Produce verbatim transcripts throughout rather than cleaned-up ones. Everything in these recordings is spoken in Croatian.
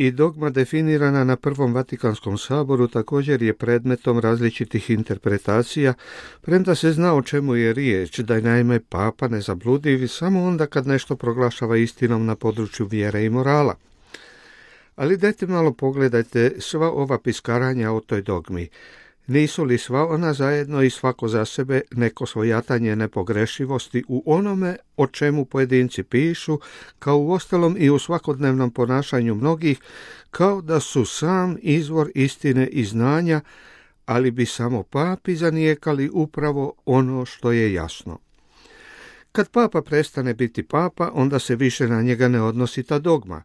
I dogma definirana na Prvom Vatikanskom saboru također je predmetom različitih interpretacija, premda se zna o čemu je riječ, da je naime papa nezabludiv samo onda kad nešto proglašava istinom na području vjere i morala. Ali dajte malo pogledajte sva ova piskaranja o toj dogmi. Nisu li sva ona zajedno i svako za sebe neko svojatanje nepogrešivosti u onome o čemu pojedinci pišu, kao u ostalom i u svakodnevnom ponašanju mnogih, kao da su sam izvor istine i znanja, ali bi samo papi zanijekali upravo ono što je jasno. Kad papa prestane biti papa, onda se više na njega ne odnosi ta dogma,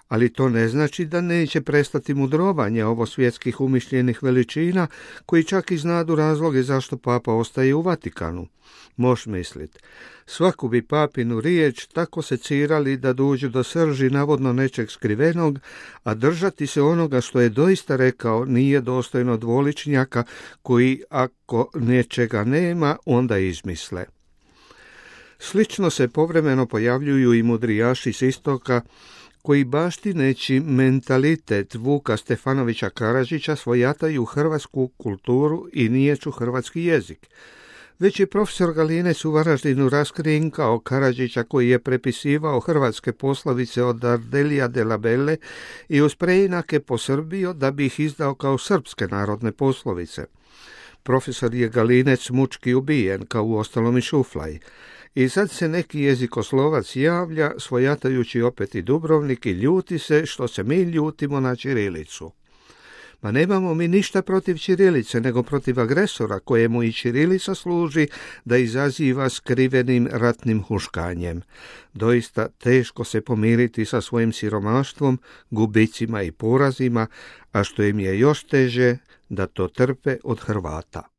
ali to ne znači da neće prestati mudrovanje ovo svjetskih umišljenih veličina, koji čak i znadu razloge zašto papa ostaje u Vatikanu. Moš mislit, svaku bi papinu riječ tako secirali da dođu do srži navodno nečeg skrivenog, a držati se onoga što je doista rekao nije dostojno dvoličnjaka koji ako nečega nema, onda izmisle. Slično se povremeno pojavljuju i mudrijaši s istoka, koji baštineći mentalitet Vuka Stefanovića Karadžića svojataju hrvatsku kulturu i niječu hrvatski jezik. Već je profesor Galinec u Varaždinu raskrinkao Karadžića koji je prepisivao hrvatske poslovice od Ardelija de la Belle i uz preinake posrbio da bi ih izdao kao srpske narodne poslovice. Profesor je Galinec mučki ubijen, kao u ostalom i Šuflaj. I sad se neki jezikoslovac javlja, svojatajući opet i Dubrovnik, i ljuti se što se mi ljutimo na ćirilicu. Ma nemamo mi ništa protiv ćirilice, nego protiv agresora kojemu i ćirilica služi da izaziva skrivenim ratnim huškanjem. Doista teško se pomiriti sa svojim siromaštvom, gubicima i porazima, a što im je još teže, da to trpe od Hrvata.